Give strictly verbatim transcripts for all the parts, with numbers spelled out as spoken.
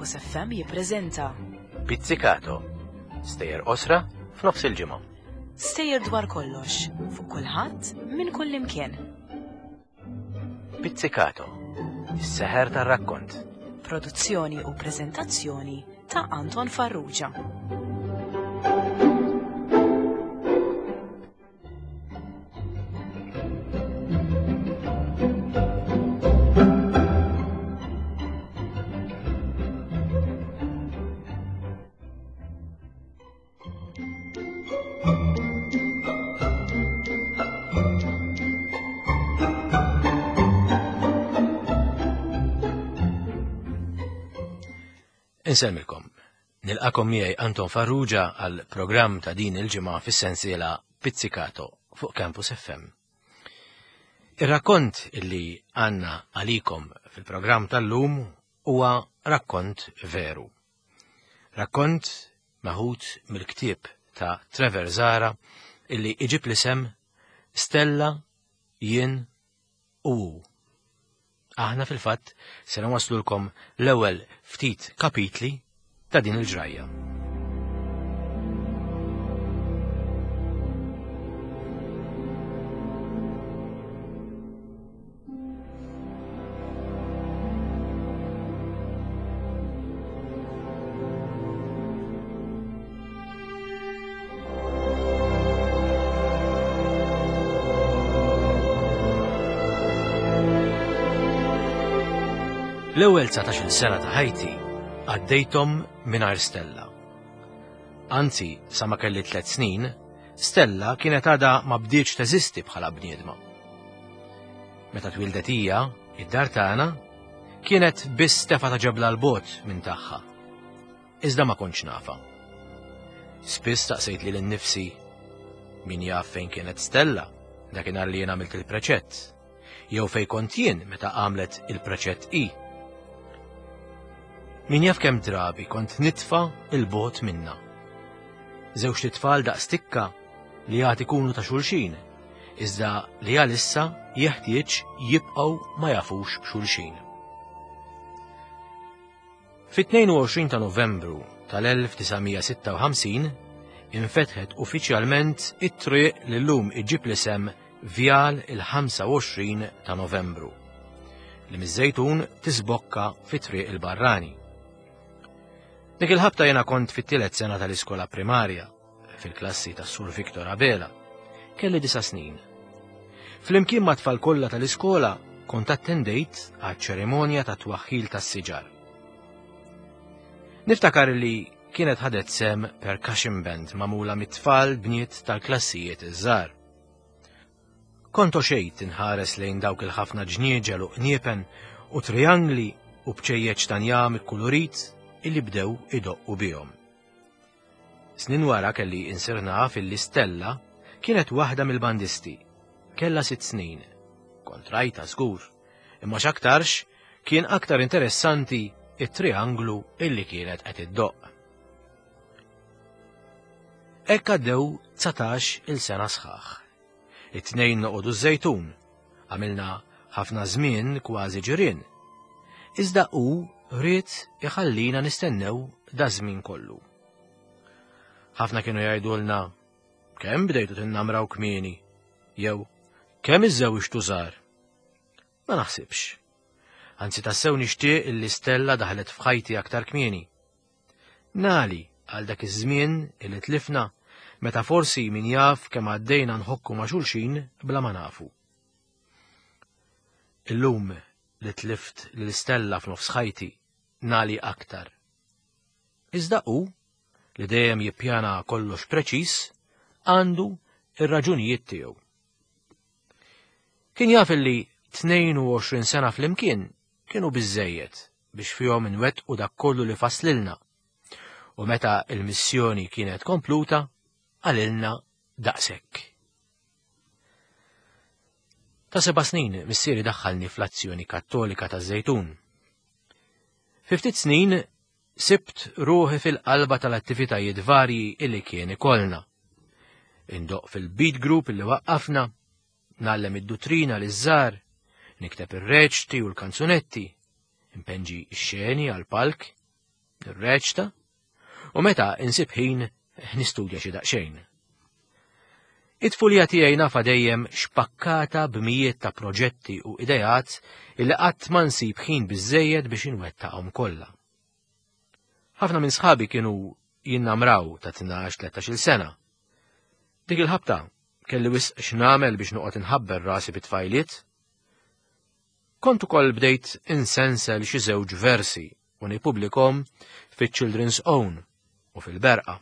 Campus F M jippreżenta Pizzicato. Stejjer qosra f'nofs il-ġimgħa. Stejjer dwar kollox, fuq kulħadd, minn kull imkien. Pizzicato. Is-seħer tar-rakkont. Produzzjoni u preżentazzjoni ta' Anton Farrugia. Insemmilkom. Nilqakom miegħi Anton Farrugia għal programm ta' din il-ġimgħa fis-sensiela Pizzicato fuq Campus F M. Ir-rakkont illi għandna għalikom fil-programm tal-lum huwa rakkont veru. Rakkont meħud mill-ktieb ta' Trevor Zahra illi iġib l-isem Stella, Jien u Hu. Aħna fil-fatt se nwaslulkom l-ewwel ftit kapitli ta' din il-ġrajja. L-ewwel dsatax-il sena ta' ħajti għaddejthom mingħajr Stella. Anzi, sa ma kelli tliet snin, Stella kienet għadha ma bdietx teżisti bħala bniedma. Meta twildet hija, id-dar tagħna kienet biss tefa ta' ġebla 'l bogħod minn tagħha. Iżda ma kontx nafha. Spiss staqsejt lili nnifsi min jaf fejn kienet Stella dakinhar li jien għamilt il-preċett, jew fejn kont jien meta għamlet il-preċett i. Min jaf kemm drabi kont nitfa' 'l bogħod minna. Żewġt itfal daqs tikka li għad ikunu ta' xulxin, iżda li għalissa jeħtieġ jibqgħu ma jafux b'xulxin. Fit-tnejn u għoxrin ta' Novembru tal-elf disa' mija sitta u ħamsin infetħet uffiċjalment it-triq li llum iġib l-isem Vjal il-ħamsa u għoxrin ta' Novembru, li miż-Żejtun tisbokka fi Triq il-Barrani. Dik il-ħabta jena kont fit-tielet sena tal-iskola primarja, fil-klassi tas Sur Victor Abela. Kelli disa' snin. Flimkien ma' tfal kollha tal-iskola kont attendejt għaċ-ċerimonja ta' twaħħil tas-siġar. Niftakar li kienet ħadet sehem percussion band magħmula mit-tfal bniet tal-klassijiet iż-żgħar. Kont xejt inħares lejn dawk il-ħafna ġnieġel u qniepen u triangli u bċejjeċ ta' njam ikkulurit illi bdew idoqqu bihom. Snin wara kelli insir naf illi Stella kienet waħda mill-bandisti. Kella sitt snin. Kont rajtha żgur, imma x'aktarx kien aktar interessanti it-trianglu illi kienet qed iddoqq. Hekk għaddew dsatax il sena sħaħ. It-tnejn noqogħdu ż-Żejtun. Għamilna ħafna żmien kważi ġirien. Iżda hu ried iħallina nistennew da żmien kollu. Ħafna kienu jgħidulna kemm bdejtu tinnamraw kmieni, jew kemm iżżewġtu żgħar. Ma naħsibx. Anzi, tassew nixtieq illi Stella daħlet f'ħajti aktar kmieni. Nali għal dak iż-żmien illi tlifna meta forsi min jaf kemm għaddejna nħokku ma' xulxin bla ma nafu. Illum li tlift lil Stella f'nofs ħajti nali aktar. Iżda hu, li dejjem jippjana kollox preċis, għandu ir-raġunijiet tiegħu. Kien jaf li tnejn u għoxrin sena flimkien kienu biżejjed biex fihom inwettqu dak kollu li faslilna. U meta il-missjoni kienet kompluta, qalilna daqshekk. Ta' seba' snin missieri daħħalni fl-Azzjoni Kattolika ta' Żejtun. Fi ftit snin sibt ruħi fil-qalba tal-attivitajiet varji illi kien ikollna. Indoqq fil-beat group illi waqqafna, ngħallem id-duttrina liż-żgħar, nikteb ir-reċti u l-kanzunetti, impenġi x-xeni għal-palk. nirreċta, u meta insib ħin nistudja xi daqsxejn. It-tfulija tiegħi nafa dejjem xpakkata b'mijiet ta' proġetti u ideat illi qatt ma nsib ħin biżejjed biex inwettaqhom kollha. Ħafna minn sħabi kienu jinnamraw ta' tnax tlettax-il sena. Dik il-ħabta kelli wisq x'nagħmel biex noqgħod inħabber rasi bit-tfajliet. Kont ukoll bdejt insensel xi żewġ versi u nippubblikhom fiċ-Children's Own u fil-Berqa.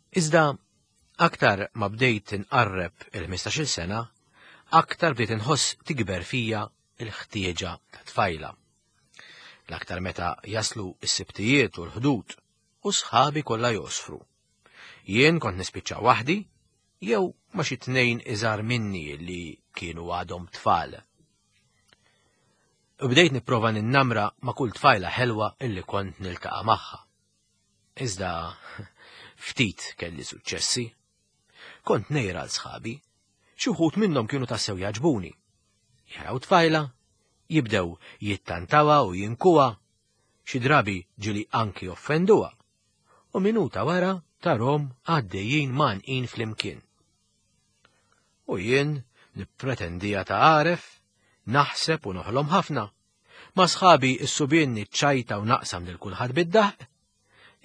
Iżda aktar ma bdejt inqarreb il-ħmistax-il sena, aktar bdejt inħoss tikber fija il-ħtieġa ta' tfajla. L-aktar meta jaslu s-sibtijiet u l-ħdud u sħabi kollha josfru. Jien kont nispiċċa waħdi jew ma xi tnejn iżgħar minni li kienu għadhom tfal. U bdejt nipprova ninnamra ma' kull tfajla ħelwa illi kont niltaqa' magħha. Iżda ftit kelli suċċessi. Kont nejra l sħabi, xi wħud minnhom kienu tassew jaġbuni. Jaraw tfajla, jibdew jittantawa u jinkuha, xi drabi ġili anki offenduha. U minuta wara tarhom għaddejjin manqin flimkien. U jien nippretendija ta' għaref, naħseb u noħlom ħafna. Ma sħabi s-subien niċċajta u naqsam lil kulħadd bid-daħq,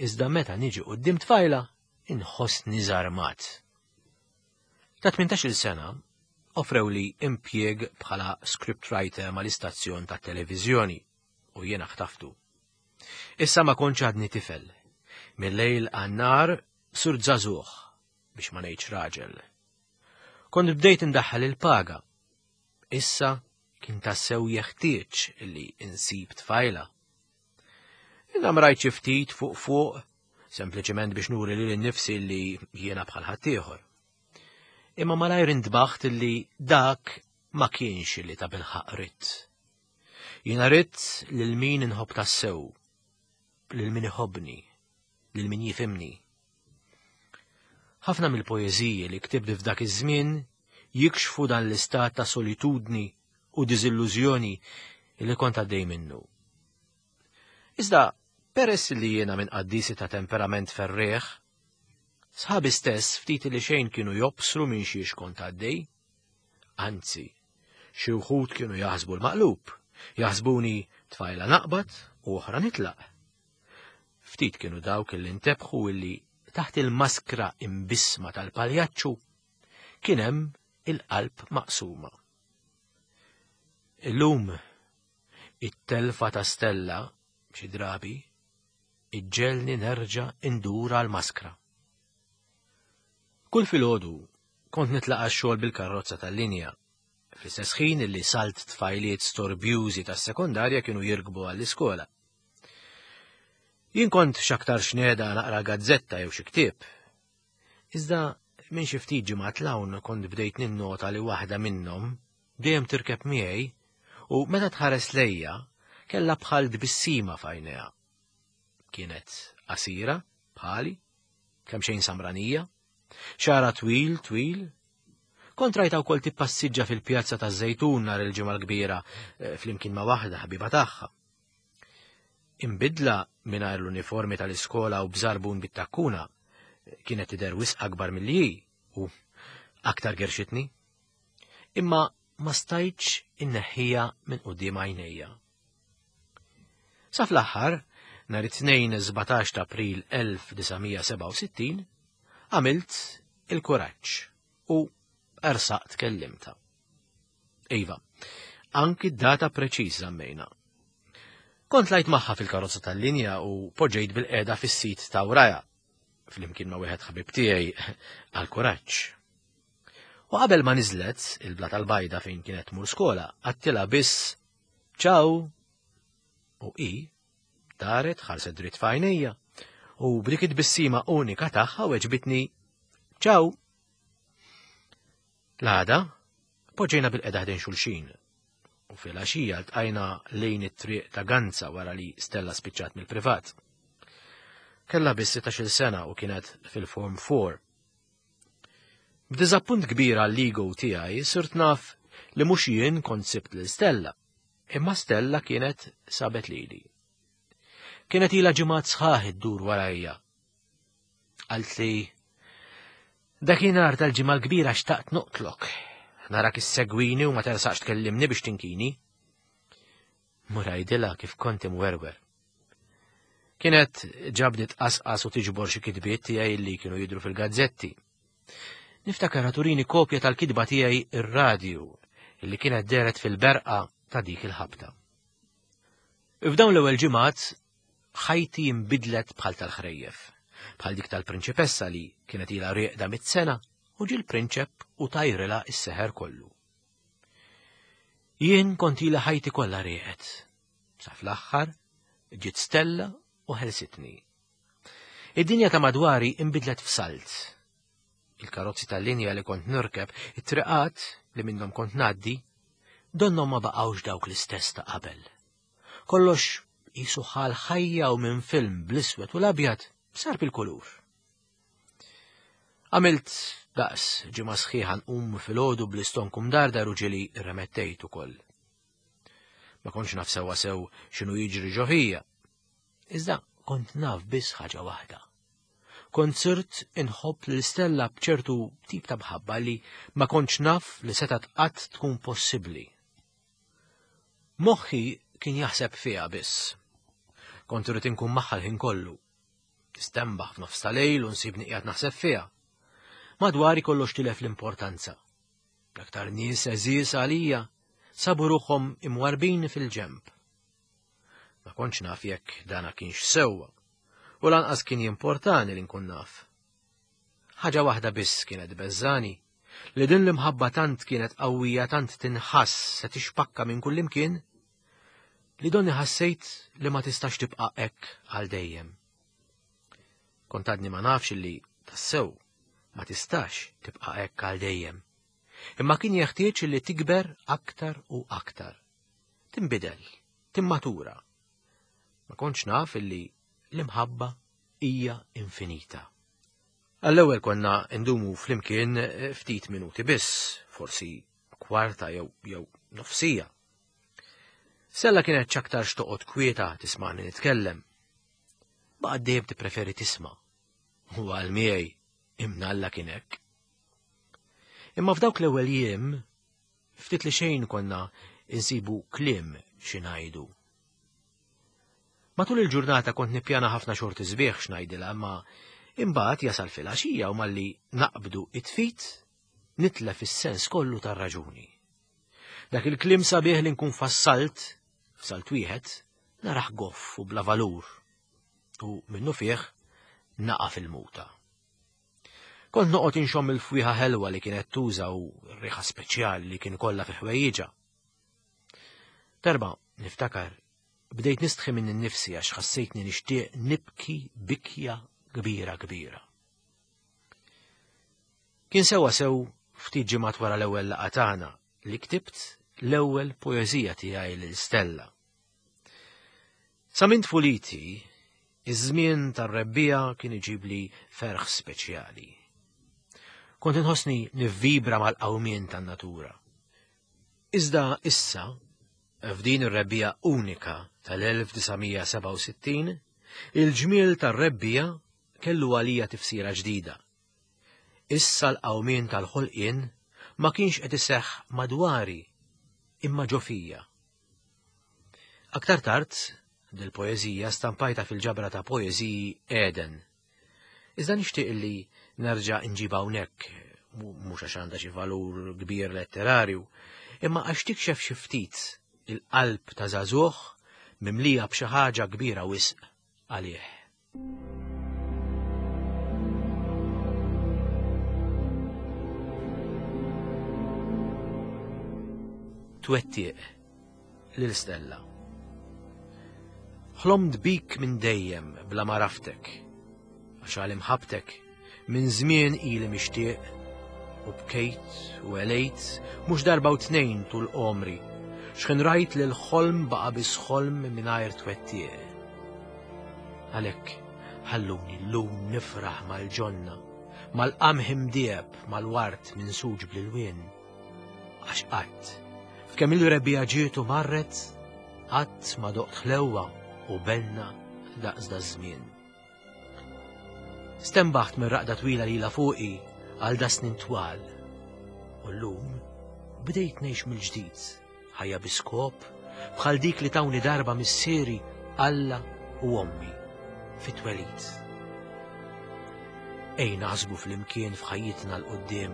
iżda meta niġi quddiem tfajla inħossni żarmat. Ta' tmintax-il sena offrew li impjieg bħala scriptwriter mal-istazzjon ta' televiżjoni u jiena ħtaftu. Issa ma kontx għadni tifel. Mill-lejl għan-nar sur żagħżugħ biex ma ngħidx raġel. Kont bdejt indaħħal il-paga. Issa kien tassew jeħtieġ li insib tfajla. Innamrajt xi ftit fuq fuq, sempliċement biex nuri lili nnifsi li jiena bħal ħaddieħor. Imma malajr intbaħt li dak ma kienx li ta' bilħaq ridt. Jiena ridt lil min inħobb tassew, lil min iħobbni, lil min jifhimni. Ħafna mill-poeżiji li ktibt f'dak iż-żmien jikxfu dan l-istat ta' solitudni u diżillużjoni li kont għaddej minnu. Iżda peress li jiena minn qaddisi ta' temperament ferrieħ, sħabi stess ftit li xejn kienu jobsru minn xiex kont għaddej. Anzi, xi wħud kienu jaħsbu l-maqlub, jaħsbuni tfajla naqbad u oħra nitlaq. Ftit kienu dawk li ntebħu illi taħt il-maskra imbisma tal-paljaċċu kien hemm il-qalb maqsuma. Illum it-telfa ta' Stella xi drabi iġġelni nerġa' indura l-maskra. Kull filgħodu kont nitlaqa' x-xogħol bil-karozza tal-linja. Fl-istess ħin illi salt tfajliet storbjużi tas-sekondarja kienu jirkbu għall-iskola. Jien kont x'aktar xneda naqra gazzetta jew xi ktieb. Iżda minn xi ftit ġimgħat l-hawn kont bdejt ninnota li waħda minnhom dejjem tirkeb miegħi u meta tħares lejja kellha bħal tbissima f'għajnejha. Kienet qasira bħali, kemm xejn samranija, xara twil twil. Kont rajta wkoll tippassiġġa fil-pjazza taż-Żejtun nhar il-Ġimgħa l-Kbira flimkien ma' waħda ħabiba tagħha. Imbidla mingħajr l-uniformi tal-iskola u bżarbun bit-takkuna kienet tidher wisq akbar milli hi u aktar gerxitni. Imma ma stajtx inneħħija minn quddiem għajnejja. Sa fl-aħħar, nhar it-tnejn sbatax ta' April elf disa' mija sebgħa u sittin, għamilt il-kuraġġ u ersaqt kellimta. Iva, anki d-data preċiż żammejna. Kont lajt magħha fil-karozza tal-linja u poġġejt bil-qeda fis-sit ta' wraja, flimkien ma' wieħed ħabib tiegħi għall-kuraġġ. U qabel ma niżlet il-bla tal-bajda fejn kienet tmur skola, għattilha biss ċaw. U i daret ħarset dritt f'għajnejja u b'dik it-tbissima unika tagħha weġbitni ċaw. L-għada poġġejna bil-qeda ħdejn xulxin u fil-għaxija ltqajna lejn it-triq ta' Ganza wara li Stella spiċċat mill-privat. Kellha biss sittax-il sena u kienet fil-Form four. B'diżappunt kbir għall-ego tiegħi sirt naf li mhux jien kont sibt lil Stella, Imma Stella kienet sabet lili. Kienet ilha ġimgħat sħaħ iddur warajja. Qaltli, dakinhar tal-ġimgħa l-kbira xtaqt noqtlok. Narak issegwini u ma tersaqx tkellimni biex tinkini. Mur għidilha kif kont imwerwer. Kienet ġabdet qasqas u tiġbor xi kitbiet tiegħi li kienu jidhru fil-gazzetti. Niftakar turini kopja tal-kitba tiegħi ir-radju illi kienet dehret fil-berqa ta' dik il-ħabta. F'dawn l-ewwel ġimgħat ħajti inbidlet bħal tal-ħrejjef, bħal dik tal-prinċipessa li kienet ilha rieqda mit-sena u ġie l-prinċep u tajrilha s-seħer kollu. Jien kont ilha ħajti kollha rieqed. Sa fl-aħħar ġiet Stella u ħelsitni. Id-dinja ta' madwari inbidlet f'salt. Il-karozzi tal-linja li kont nirkeb, it-triqat li minnhom kont ngħaddi, donnhom ma baqgħux dawk l-istess ta' qabel. Kollox qisu ħal ħajja u minn film bl-iswed u l-abjad sar bil-kulur. Għamilt daqs ġimgħa sħiħa nqum filgħodu bl-istonku mdardar u ġieli rremettejt ukoll. Ma kontx naf sewwa sew x'inhu jiġri ġo fija. Iżda kont naf biss ħaġa waħda. Kont sirt inħobb lil Stella b'ċertu tip ta' mħabba li ma kontx naf li setgħet qatt tkun possibbli. Moħħi kien jaħseb fiha biss. Kont irid inkun magħha l-ħin kollu. Nistenbaħ f'nofs ta' lejl u nsibni qiegħed naħseb fiha. Madwari kollox tilef l-importanza. L-aktar nies għeżież għalija sabu ruħhom imwarbin fil-ġemb. Ma kontx naf jekk dana kienx sewwa, u lanqas kien jimportani li nkun naf. Ħaġa waħda biss kienet beżżani, li din l-imħabba tant kienet qawwija tant tinħass se tixpakka minn kullimkien, li donni ħassejt li ma tistax tibqa' hekk għal dejjem. Kont għadni ma nafx li tassew ma tistax tibqa' hekk għal dejjem. Imma kien jeħtieġ li tikber aktar u aktar. Tinbidel, timmatura. Ma kontx naf illi l-imħabba hija infinita. Għall-ewwel konna ndumu flimkien ftit minuti biss, forsi kwarta jew jew nofsija. Stella kienet x'aktarx toqgħod kwieta tismani nitkellem. Baqgħet dejjem tippreferi tisma'. U għal miegħi imnalla kien hekk. Imma f'dawk l-ewwel jiem ftit li xejn konna insibu kliem xi ngħidu. Matul il-ġurnata kont nippjana ħafna xorti sbieħ x'ngħidilha, imma imbagħad jasal filgħaxija u malli naqbdu it-tfit nitlef is-sens kollu tar-raġuni. Dak il-kliem sabiħ li nkun fassalt f'salt wieħed naraħ goff u bla valur u minnu fih naqa' fil-muta. Kont noqgħod inxomm il-fwieħa ħelwa li kienet tuża u r-riħa speċjali li kien kollha fi ħwejjiġha. Darba niftakar bdejt nistħi minn innifsi għax ħassejtni nixtieq nibki bikja kbira kbira. Kien sewwa sew ftit ġimgħat wara l-ewwel laqgħa tagħna li ktibt l-ewwel poeżija tiegħi lil Stella. Sa minn tfuliti, iż-żmien tar-rebbiegħa kien iġibli ferħ speċjali. Kont inħossni nivvibra mal-qawmien tan-natura. Iżda issa, f'din ir-rebbiegħa unika tal-elf disa' mija sebgħa u sittin, il-ġmiel tar-rebbiegħa kellu għalija tifsira ġdida. Issa l-qawmien tal-ħolqien ma kienx qed iseħħ madwari, imma ġo fija. Aktar tard, dil-poeżija stampajta fil-ġabra ta' poeżiji Eden. Iżda nixtieq li nerġa' nġibha hawnhekk, mhux għax għandha xi valur kbir letterarju, imma għax tikxef xi ftit il-qalb ta' żagħżugħ mimlija b'xi ħaġa kbira wisq għalih. Twettiq lil Stella. Ħlomt bik minn dejjem bla ma raftek, għax għal imħabtek minn żmien ili mixtieq, u bkejt u għelejt mhux darba u tnejn tul għomri, x'ħin rajt li l-ħolm baqa' biss ħolm mingħajr twettiq. Għalhekk ħalluni llum nifraħ mal-ġonna, mal-qamħ imdieb, mal-ward minsuġ bl-ilwien. Għax qatt, f'kemm il-rebbiegħa ġiet u marret, Qatt ma doqt ħlewwa u benna daqs daż-żmien. Stembaħt minn raqda twila lila fuqi għal da snin twal. U llum bdejt ngħix mill-ġdid, ħajja bi skop bħal dik li tawni darba missieri Alla u ommi fit-twelid. Ej naħsbu flimkien f'ħajjitna 'l quddiem.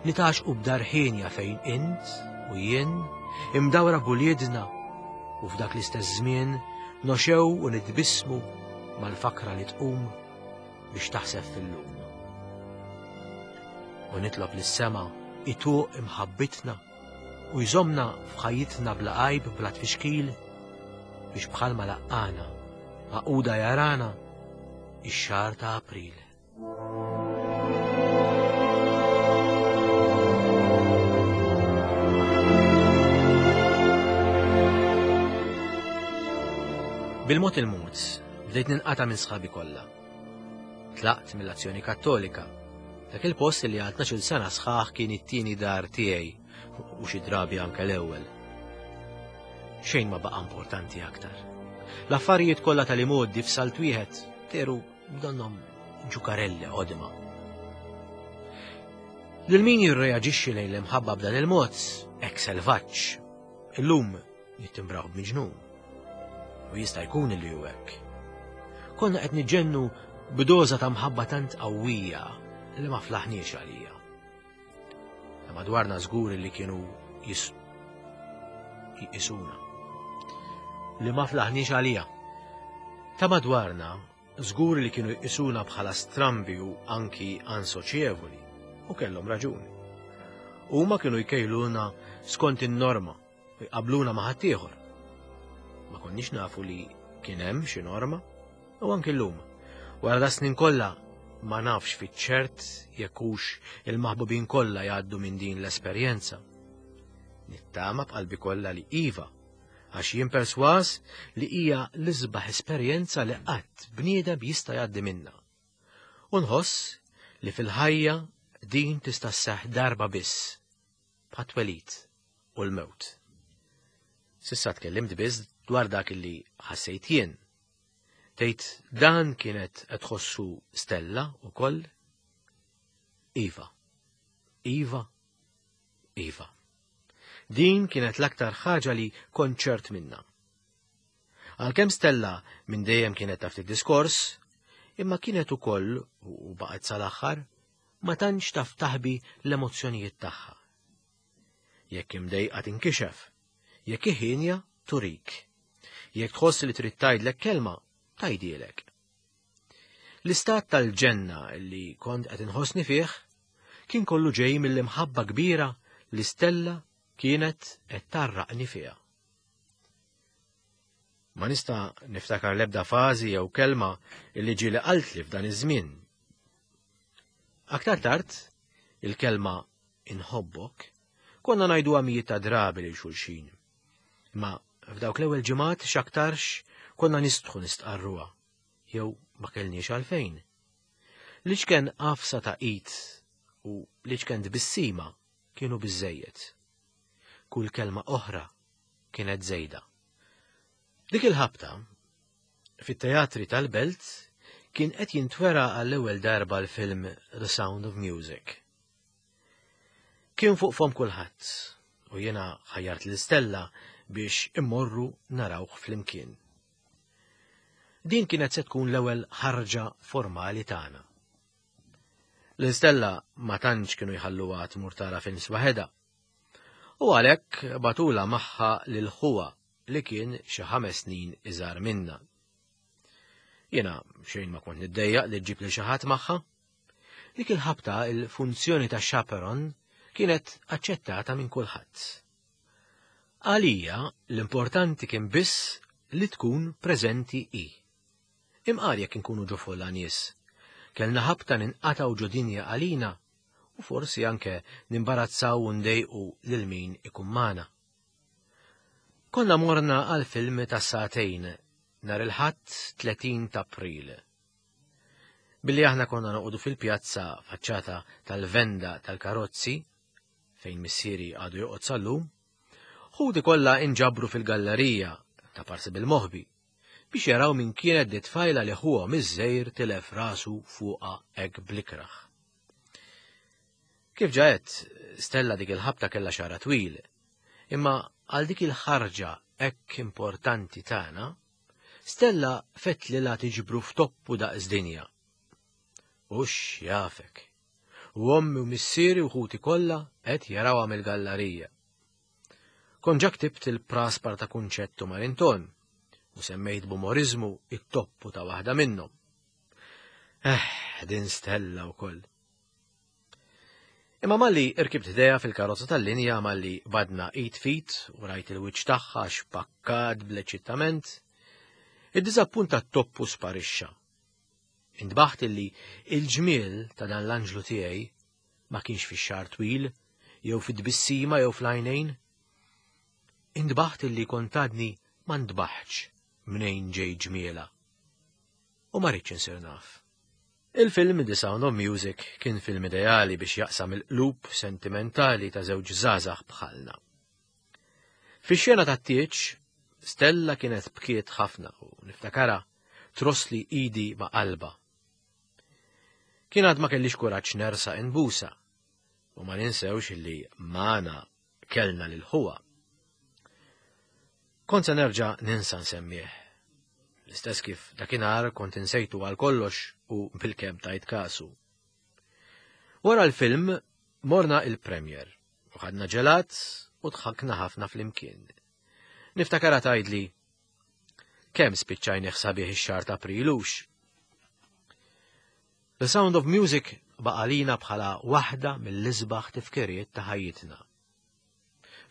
Nitgħaxqu b'dar ħienja fejn int u jien imdawra b'uliedna u f'dak l-istess żmien noxew u nitbissmu mal-fakra li tqum biex taħseb fil-lum. U nitlob lis-sema ituq imħabbitna u jżomna f'ħajjitna bla għajb bla tfixkil biex bħalma laqqana għaquda jarana ix-xahar ta' April. Bil-mod il-mod, bdejt ninqata' minn sħabi kollha. Tlaqt mill-Azzjoni Kattolika, dak il-post li għal tnax-il sena sħaħ kien it-tieni dar tiegħi u xi drabi anke l-ewwel. Xejn ma baqa' importanti aktar. L-affarijiet kollha tal-imgħoddi f'salt wieħed teru donnhom ġukarelli qodma. Lil min jirreaġixxi lejn l-imħabba b'dan il-mod, hekk selvaġġ, illum nittimbraw b'miġnun. U jista' jkun li hu hekk. Konna qed niġġennu b'doża ta' mħabba tant qawwija li ma flaħniex għalija. Ta' madwarna żgur li kienu jis- jqisuna. Li ma flaħniex għalija. Ta' madwarna żgur li kienu jqisuna bħala strambi u anki ansoċjevoli, u kellhom raġuni. Huma kienu jkejluna skont in-norma u jqabluna ma' ħaddieħor. Ma konniex nafu li kien hemm xi norma, u anki llum. Wara da snin kollha ma nafx fiċ-ċert jekk hux il-maħbubin kollha jgħaddu minn din l-esperjenza. Nittama b'qalbi kollha li iva, għax jien perswas li hija l-isbaħ esperjenza li qatt bniedem jista' jgħaddi minnha. U nħoss li fil-ħajja din tista' sseħħ darba biss, bħat-twelid u l-mewt. S'issa tkellimt biss dwar dak li ħassejt jien. Tgħid dan kienet qed tħossu Stella wkoll? Iva. Iva. Iva. Din kienet l-aktar ħaġa li kont ċert minna. Għalkemm Stella minn dejjem kienet taf id-diskors, imma kienet ukoll u baqgħet sal-aħħar ma tantx taf taħbi l-emozzjonijiet tagħha. Jekk imdejqa tinkixef, jekk iħinja turik. Jekk tħoss li trid tgħidlek kelma, tgħidilek. L-istat tal-ġenna li kont qed inħossni fih kien kollu ġej mill-imħabba kbira li Stella kienet qed tarraqni fiha. Ma nista' niftakar l-ebda fażi jew kelma li ġieli qaltli f'dan iż-żmien. Aktar tard, il-kelma inħobbok konna ngħiduha mijiet ta' drabi lil xulxin. Imma f'dawk l-ewwel ġimgħat x'aktarx konna nistħu nistqarruha, jew ma kellniex għalfejn. L-iċken qafsa ta' id u l-iċken tbissima kienu biżżejjed. Kull kelma oħra kienet żejda. Dik il-ħabta, fit-teatri tal-belt, kien qed jintwera għall-ewwel darba l-film The Sound of Music. Kien fuq fom kulħadd u jiena ħajjart lil Stella biex immorru narawh flimkien. Din kienet se tkun l-ewwel ħarġa formali tagħna. Lil Stella ma tantx kienu jħalluha tmur tara films waħedha. U għalhekk batula magħha lil ħuha li kien xi ħames snin iżgħar minna. Jiena xejn ma kont niddejjaq li ġġib lil xi ħadd magħha. Dik il-ħabta il-funzjoni ta' chaperon kienet aċċettata minn kulħadd. Għalija l-importanti kien biss li tkun preżenti hi. Imqar jekk inkunu ġo folla nies, kellna ħabta ninqatgħu ġo dinja għalina u forsi anke nimbarazzaw u ndejqu lil min ikun magħna. Konna morna għal film ta' sagħtejn nhar il-Ħadd tletin ta' April. Billi aħna konna noqogħdu fil-pjazza faċċata tal-venda tal-karozzi, fejn missieri għadu joqgħod sal-lum, Ħuti kollha inġabru fil-gallerija ta' parsi bil-moħbi biex jaraw min kienet di tfajla li ħuhom iż-żgħir tilef rasu fuqha hekk blikraħ. Kif ġaet, Stella dik il-ħabta kellha xara twil, imma għal dik il-ħarġa hekk importanti tagħna, Stella fetlilha tiġbru f'toppu daqs dinja. U x'jafek. U ommi u missieri u ħuti kollha qed jarawha mill-gallerija. Kont ġa ktibt il-praspar ta' Kunċettu Marinton u semmejt b'umorizmu it-toppu ta' waħda minnhom. Eh, din Stella wkoll. Imma malli irkibt ħdejha fil-karozza tal-linja malli badna id fit u rajt il-wiċċ tagħha xpakkat bl-eċittament, id-diżappunt tat-toppu sparixxa. Intbaħt illi il-ġmiel ta' dan l-anġlu tiegħi ma kienx fix-xagħar twil, jew fid-tbissima jew fl-għajnejn. Intbaħt illi kont għadni ma ntbaħtx mnejn ġej ġmiela. U ma rridx insir naf. Il-film The Sound of Music kien film ideali biex jaqsam il-qlub sentimentali ta' żewġ żgħażagħ bħalna. Fix-xena tat-tieġ, Stella kienet bkiet ħafna u niftakara trossli idi ma' qalba. Kien għad ma kellix kuraġġ nersaq inbusha u ma ninsewx illi magħna kellna lil ħuha. Kont se nerġa' ninsa nsemmih. L-istess kif dakinhar kont insejtu għal kollox u bil-kemm tajt kasu. Wara l-film morna il-premier u ħadna ġelat u dħakna ħafna flimkien. Niftakara tgħidli kemm spiċċajni sabiħ ix-xahar ta' Aprilux. The Sound of Music baqalina bħala waħda mill-isbaħ tifkiriet ta' ħajjitna.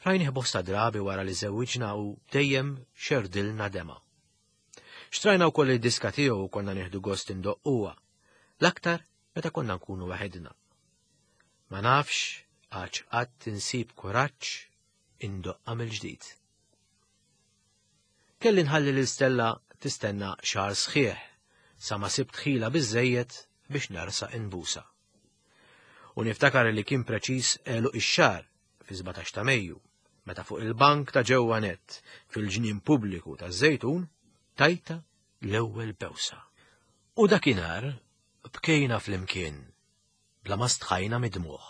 Rajnih bosta drabi wara li żewwiġna u dejjem xerdilna dema. Xtrajna wkoll id-diska tiegħu u konna nieħdu gost indoqquha, l-aktar meta konna nkunu waħedna. Ma nafx għax qatt insib kuraġġ indoqqa mill-ġdid. Kelli nħalli lil Stella tistenna xahar sħiħ sa ma sibt ħila biżejjed biex nersaq inbusha. U niftakar li kien preċiż għeluq ix-xahar fi sbatax ta' Mejju, meta fuq il-bank ta' ġewwa nett fil-ġnien pubbliku taż-Żejtun tajta l-ewwel bewsa. U dakinhar bkejna flimkien bla ma stħajna mid-dmugħ.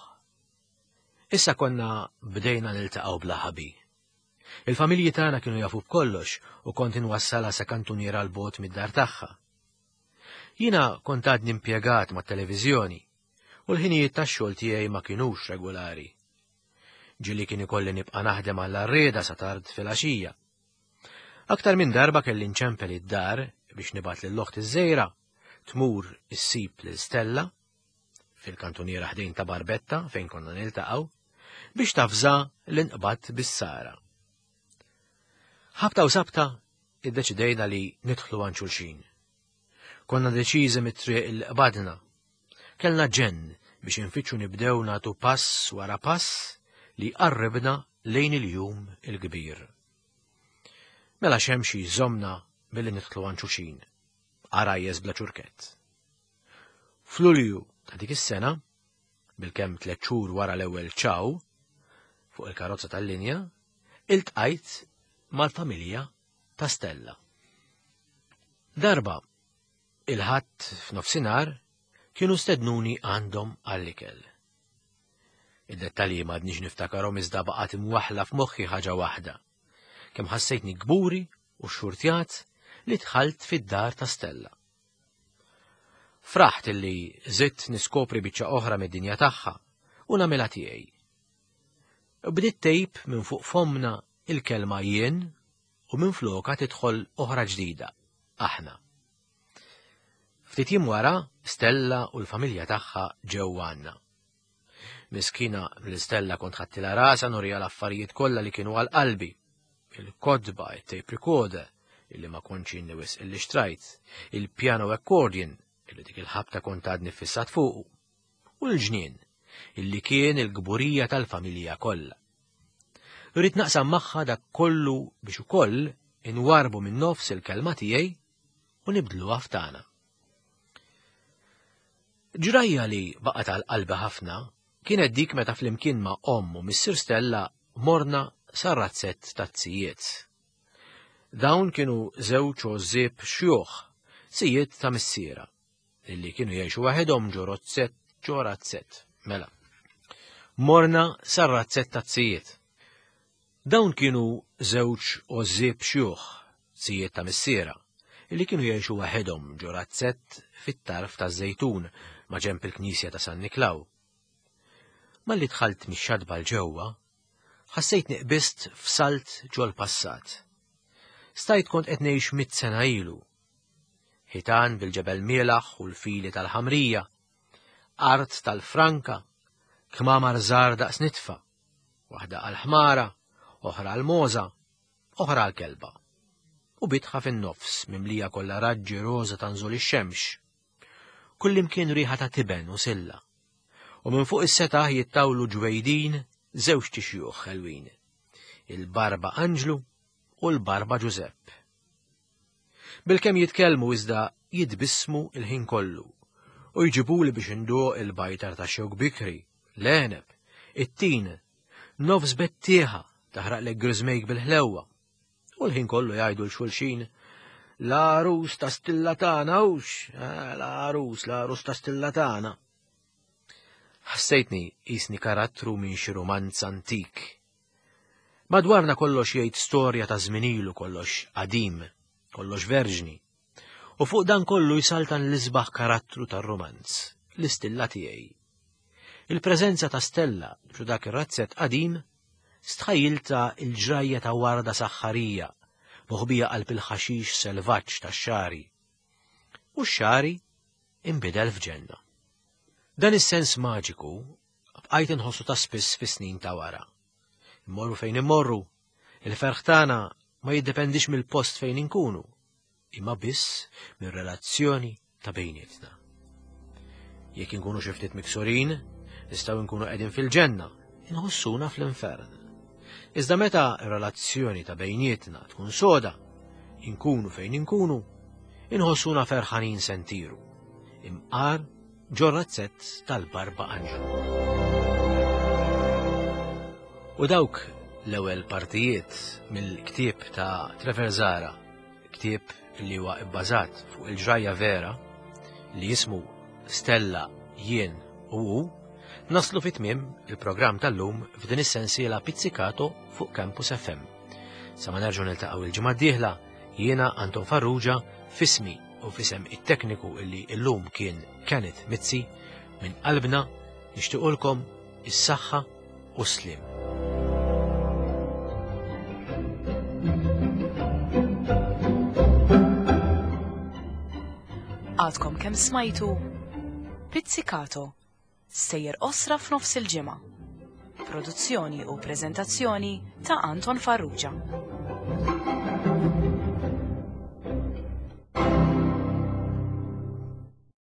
Issa konna bdejna niltaqgħu bla ħabi. Il-familji tagħna kienu jafu b'kollox u kont inwassalha sa kantuniera 'l bogħod mid-dar tagħha. Jiena kont għadni impjegat mat-televiżjoni u l-ħinijiet tax-xogħol tiegħi ma kinux regolari. Ġieli kien ikolli nibqa' naħdem għall-arrieda sa tard filgħaxija. Aktar minn darba kelli nċempel id-dar biex nibgħat lil oħti iż-żgħira tmur issib lil Stella fil-kantuniera ħdejn ta' Barbetta fejn konna niltaqgħu biex tafża l-inqbad bis-sara. Ħabta u sabta iddeċidejna li nidħlu għand xulxin. Konna deċiżi mit-triq il qbadna. Kellna ġenn biex infittxu nibdew nagħtu pass wara pass li qarribna lejn il-jum il-kbir. Mela x'hemm xi jżommna milli nidħlu għand xulxin. Għarajjes bla ċurkett. F'Lulju ta' dik is-sena, bilkemm tliet xhur wara l-ewwel ċaw, fuq il-karozza tal-linja, iltqajt mal-familja ta' Stella. Darba, il-Ħadd f'nofsinhar kienu stednuni għandhom għall-ikel. Id-dettalji m'għadniex niftakarhom iżda baqgħet imwaħla f'moħħi ħaġa waħda. Kemm ħassejtni kburi u xurtjat li dħalt fid-dar ta' Stella. Fraħt illi żidt niskopri biċċa oħra mid-dinja tagħha u nagħmilha tiegħi. Bdiet tgħib minn fuq fomna il-kelma jien u minn floka tidħol oħra ġdida, aħna. Ftit jiem wara, Stella u l-familja tagħha ġew għandna. Miskina l-Stella kont ħadtilha rasha nurija l-affarijiet kollha li kienu għal qalbi. Il-kotba, il-tape recorder, illi ma kontx inni wisq illi xtrajt, il-piano accordion, illi dik il-ħabta kont għadni fissat fuqu, u l-ġnien, illi kien il-gburija tal-familja kollha. Rrid naqsam magħha dak kollu biex ukoll inwarbu minn nofs il-kelma tiegħi u nibdluha f'tagħna. Ġrajja li baqgħet għal qalbi ħafna kienet dik meta flimkien ma' omm u missier Stella morna sar-razzett taz-zijiet. Dawn kienu żewġ għożżieb xjuħ, zijiet ta' missiera, illi kienu jgħixu waħedhom ġo razzett ġo razzett. Mela. Morna sar-razzett taz-zijiet. Dawn kienu żewġ għożżieb xjuħ, zijiet ta' missiera, illi kienu jgħixu waħedhom ġo razzett fit-tarf taż-Żejtun ma' ġenb il-Knisja ta' San Niklaw. Malli dħalt mix-xatba 'l ġewwa, ħassejtni qbiżt f'salt ġol-passat. Stajt kont qed ngħix mitt sena ilu. Ħitan bil-ġebel mielaħ u l-fili tal-ħamrija, art tal-franka, kmamar żgħar daqs nitfa, waħda għal-ħmara, oħra għal-mogħża, oħra għal-kelba. U bitħa fin-nofs mimlija kollha raġġi roża ta' nżul ix-xemx. Kullimkien riħa ta' tiben u silla. U minn fuq is-setaħ jittawlu ġwejdin żewġt ixjuħ ħelwin. Il-Barba Anġlu u l-Barba Ġużepp. Bilkemm jitkellmu iżda jitbissmu il-ħin kollu u jġibuli biex induq il-bajtar ta' xewk bikri, l-għeneb, it-tin, nofs bettieħa taħraqlek griżmejk bil-ħlewwa. U l-ħin kollu jgħidu 'l xulxin, l-għarus ta' stilla tagħna hux, eh, l-għarus, l-għarus ta' stilla tagħna. Ħassejtni qisni karattru minn xi rumanz antik. Madwarna kollox jgħid storja ta' żmien ilu, kollox qadim, kollox verġni. U fuq dan kollu jsaltan l-isbaħ karattru tar-romanz, l-istilla tiegħi. Il-preżenza ta' Stella ġo dak ir-razzett qadim stħajjiltha il-ġrajja ta' warda saħħarija, moħbija qalb il-ħaxix selvaġġ tax-xagħri. U x-xagħri inbidel f'ġenna. Dan is-sens maġiku bqajt inħossu ta' spiss fis-snin ta' wara. Immorru fejn immorru, il-ferħ tagħna ma jiddependix mill-post fejn inkunu, imma biss mir-relazzjoni ta' bejnietna. Jekk inkunu xi ftit miksurin, nistgħu nkunu qegħdin fil-ġenna, inħossuna fl-infern. Iżda meta r-relazzjoni ta' bejnietna tkun soda, inkunu fejn inkunu, inħossuna ferħanin se ntiru. Imqar ġo razzett tal-Barba Anġlu. U dawk l-ewwel partijiet mill-ktieb ta' Trevor Zahra, ktieb li huwa bbażat fuq il-ġrajja vera li jismu Stella, Jien u Hu, naslu fi tmiem il-programm tal-lum f'din is-sensiela Pizzicato fuq Campus F M. Sa ma nerġgħu niltaqgħu il-ġimgħa d-dieħla, jiena Anton Farrugia f'ismi u f'isem it-tekniku illi illum kien Kenneth Mizzi, minn qalbna nixtiequlkom is-saħħa u s-sliem. Għadkom kemm smajtu Pizzicato, sejjer osra f'nofs il-ġimgħa. Produzzjoni u preżentazzjoni ta' Anton Farrugia.